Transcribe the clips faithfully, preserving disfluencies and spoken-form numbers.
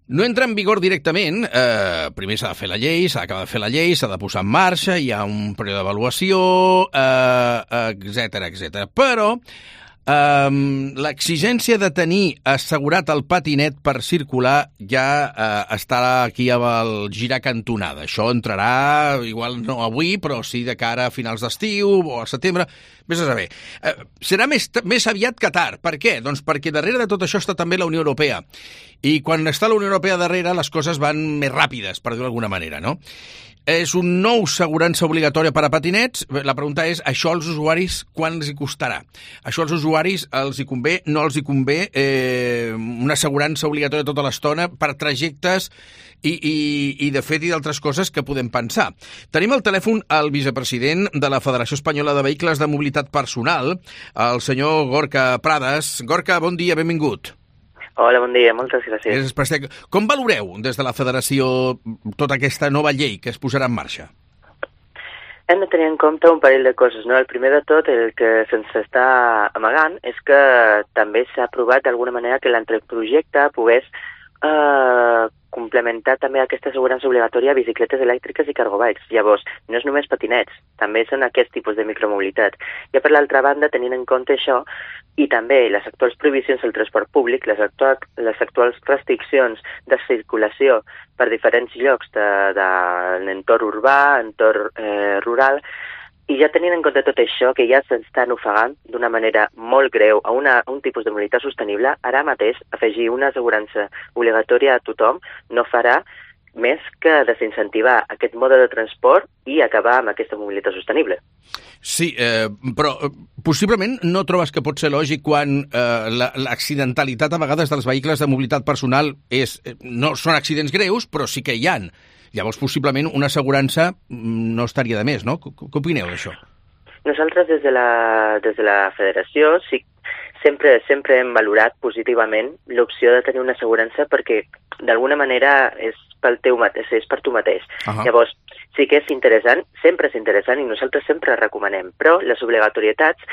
no entra en vigor directament. Eh, primer s'ha de fer la llei, s'ha d'acabar de fer la llei, s'ha de posar en marxa, hi ha un període d'avaluació, eh, etcètera, etcètera. Però Um, l'exigència de tenir assegurat el patinet per circular ja uh, està aquí al girar cantonada. Això entrarà, igual no avui, però sí de cara a finals d'estiu o a setembre. Vés a saber. Uh, serà més, més aviat que tard. Per què? Doncs perquè darrere de tot això està també la Unió Europea. I quan està la Unió Europea darrere, les coses van més ràpides, per dir-ho d'alguna manera, no? És un nou assegurança obligatòria per a patinets. La pregunta és, això als usuaris quan els hi costarà? Això als usuaris els hi convé, no els hi convé eh, una assegurança obligatòria tota l'estona per trajectes i, i, i de fet i d'altres coses que podem pensar. Tenim al telèfon el vicepresident de la Federació Espanyola de Vehicles de Mobilitat Personal, el senyor Gorka Pradas. Gorka, bon dia, benvingut. Hola, bon dia, moltes gràcies. Com valoreu des de la Federació tota aquesta nova llei que es posarà en marxa? Hem de tenir en compte un parell de coses, no? El primer de tot, el que se'ns està amagant, és que també s'ha aprovat d'alguna manera que l'anteprojecte pogués eh, complementar també aquesta assegurança obligatòria a bicicletes elèctriques i cargobikes. Llavors, no és només patinets, també són aquest tipus de micromobilitat. I per l'altra banda, tenint en compte això, i també les actuals prohibicions del transport públic, les, actual, les actuals restriccions de circulació per diferents llocs de, de l'entorn urbà, entorn eh, rural, i ja tenint en compte tot això, que ja s'estan ofegant d'una manera molt greu a, una, a un tipus de mobilitat sostenible, ara mateix afegir una assegurança obligatòria a tothom no farà més que desincentivar aquest mode de transport i acabar amb aquesta mobilitat sostenible. Sí, eh, però eh, possiblement no trobes que pot ser lògic quan eh, l'accidentalitat a vegades dels vehicles de mobilitat personal és, eh, no són accidents greus, però sí que hi han. Llavors, possiblement, una assegurança no estaria de més, no? Què opineu d'això? Nosaltres, des de la, des de la federació, sí, sempre, sempre hem valorat positivament l'opció de tenir una assegurança perquè, d'alguna manera, és pel teu mateix, és per tu mateix. Uh-huh. Llavors, sí que és interessant, sempre és interessant i nosaltres sempre recomanem, però les obligatorietats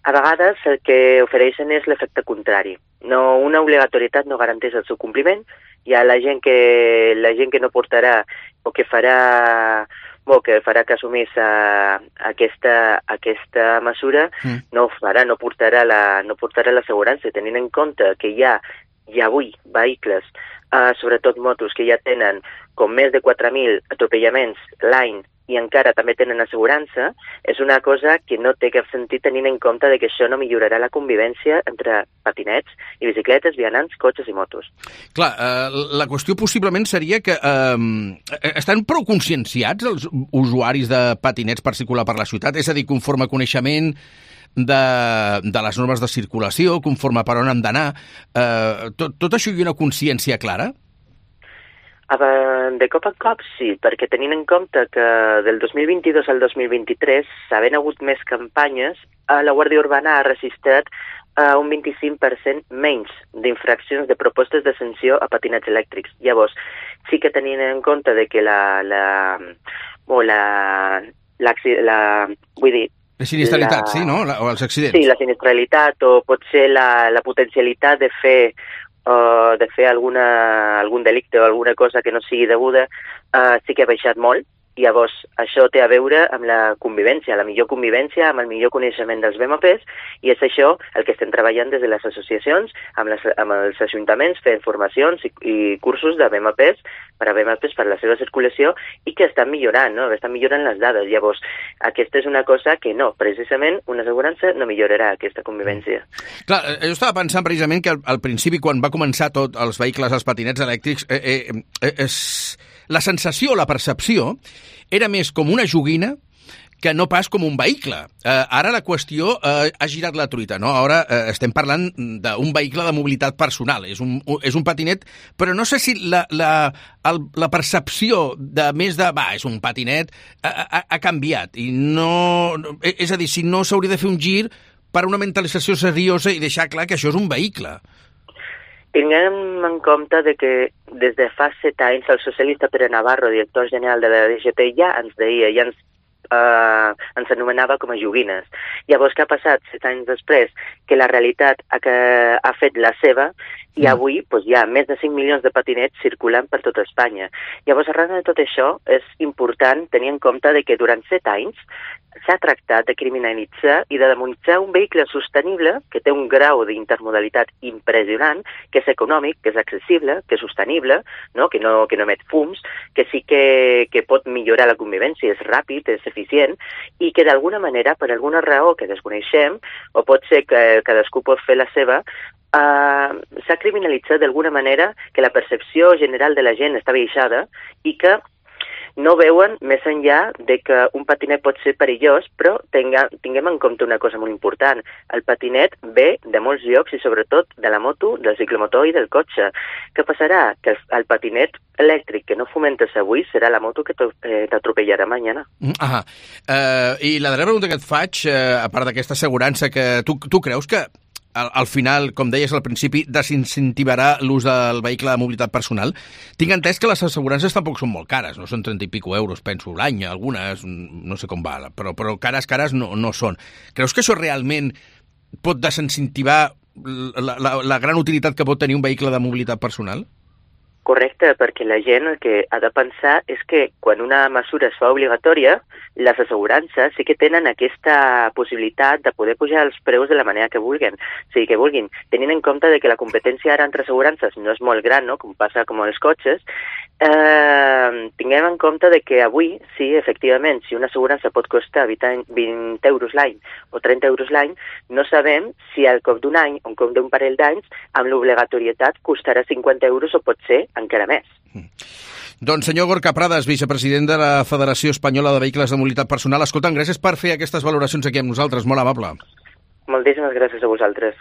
a vegades el que ofereixen és l'efecte contrari. No, una obligatorietat no garanteix el seu compliment. Hi ha la gent que, la gent que no portarà o que farà, o que farà que assumís a, a aquesta, aquesta mesura, mm. no ho farà, no portarà la, no portarà l'assegurança, tenint en compte que hi ha, hi ha avui vehicles, uh, sobretot motos, que ja tenen com més de quatre mil atropellaments l'any i encara també tenen assegurança, és una cosa que no té cap sentit tenint en compte de que això no millorarà la convivència entre patinets i bicicletes, vianants, cotxes i motos. Clar, eh, la qüestió possiblement seria que eh, estan prou conscienciats els usuaris de patinets per circular per la ciutat, és a dir, conforme coneixement de, de les normes de circulació, conforme per on han d'anar, eh, tot, tot això hi ha una consciència clara? De cop en cop sí, perquè tenint en compte que del dos mil vint-i-dos al dos mil vint-i-tres, havent hagut més campanyes, la Guàrdia Urbana ha registrat uh, un vint-i-cinc per cent menys d'infraccions de propostes de sanció a patinets elèctrics. Llavors, sí que tenint en compte de que la... la, o la, la, la vull dir, la sinistralitat, la, sí, no? La, o els accidents. Sí, la sinistralitat o potser la, la potencialitat de fer o de fer alguna, algun delicte o alguna cosa que no sigui deguda, uh, sí que ha baixat molt. Llavors, això té a veure amb la convivència, la millor convivència, amb el millor coneixement dels B M Ps, i és això el que estem treballant des de les associacions, amb, les, amb els ajuntaments, fent formacions i, i cursos de B M Ps per a B M Ps per la seva circulació i que estan millorant, no? Estan millorant les dades. Llavors, aquesta és una cosa que no, precisament una assegurança no millorarà aquesta convivència. Clar, jo estava pensant precisament que al, al principi, quan va començar tot els vehicles, els patinets elèctrics, eh, eh, eh, és... la sensació, la percepció, era més com una joguina que no pas com un vehicle. Eh, ara la qüestió eh, ha girat la truita, no? Ara eh, estem parlant d'un vehicle de mobilitat personal. És un, és un patinet, però no sé si la, la, el, la percepció de més de, va, és un patinet, ha, ha, ha canviat. I no, és a dir, si no s'hauria de fer un gir per una mentalització seriosa i deixar clar que això és un vehicle. Tinguem en compte de que des de fa set anys el socialista Pere Navarro, director general de la D G T, ja ens deia, ja ens eh, ens anomenava com a joguines. Llavors, què ha passat set anys després? Que la realitat ha, que ha fet la seva i avui doncs, hi ha més de cinc milions de patinets circulant per tota Espanya. Llavors, arran de tot això, és important tenir en compte de que durant set anys s'ha tractat de criminalitzar i de demonitzar un vehicle sostenible que té un grau d'intermodalitat impressionant, que és econòmic, que és accessible, que és sostenible, no? que, no, que no emet fums, que sí que, que pot millorar la convivència, és ràpid, és eficient, i que d'alguna manera, per alguna raó que desconeixem, o pot ser que cadascú pot fer la seva, Uh, s'ha criminalitzat d'alguna manera que la percepció general de la gent està baixada i que no veuen més enllà de que un patinet pot ser perillós, però tinga, tinguem en compte una cosa molt important. El patinet ve de molts llocs i sobretot de la moto, del ciclomotor i del cotxe. Què passarà? Que el, el patinet elèctric que no fomentes avui serà la moto que t'atropellarà mañana. Ah, uh, I la darrera pregunta que et faig, uh, a part d'aquesta assegurança, que tu, tu creus que Al, al final, com deies al principi, desincentivarà l'ús del vehicle de mobilitat personal? Tinc entès que les assegurances tampoc són molt cares, no són trenta i pico euros, penso, l'any, algunes, no sé com va, però, però cares, cares no, no són. Creus que això realment pot desincentivar la, la, la gran utilitat que pot tenir un vehicle de mobilitat personal? Correcte, perquè la gent el que ha de pensar és que quan una mesura es fa obligatòria, les assegurances sí que tenen aquesta possibilitat de poder pujar els preus de la manera que vulguin. O sigui, que vulguin, tenint en compte de que la competència ara entre assegurances no és molt gran, no? Com passa com els cotxes, eh, tinguem en compte de que avui, sí, efectivament, si una assegurança pot costar vint euros l'any o trenta euros l'any, no sabem si al cop d'un any o al cop d'un parell d'anys, amb l'obligatorietat costarà cinquanta euros o pot ser encara més. Mm. Doncs senyor Gorka Prades, vicepresident de la Federació Espanyola de Vehicles de Mobilitat Personal, escolta'm, gràcies per fer aquestes valoracions aquí amb nosaltres, molt amable. Moltíssimes gràcies a vosaltres.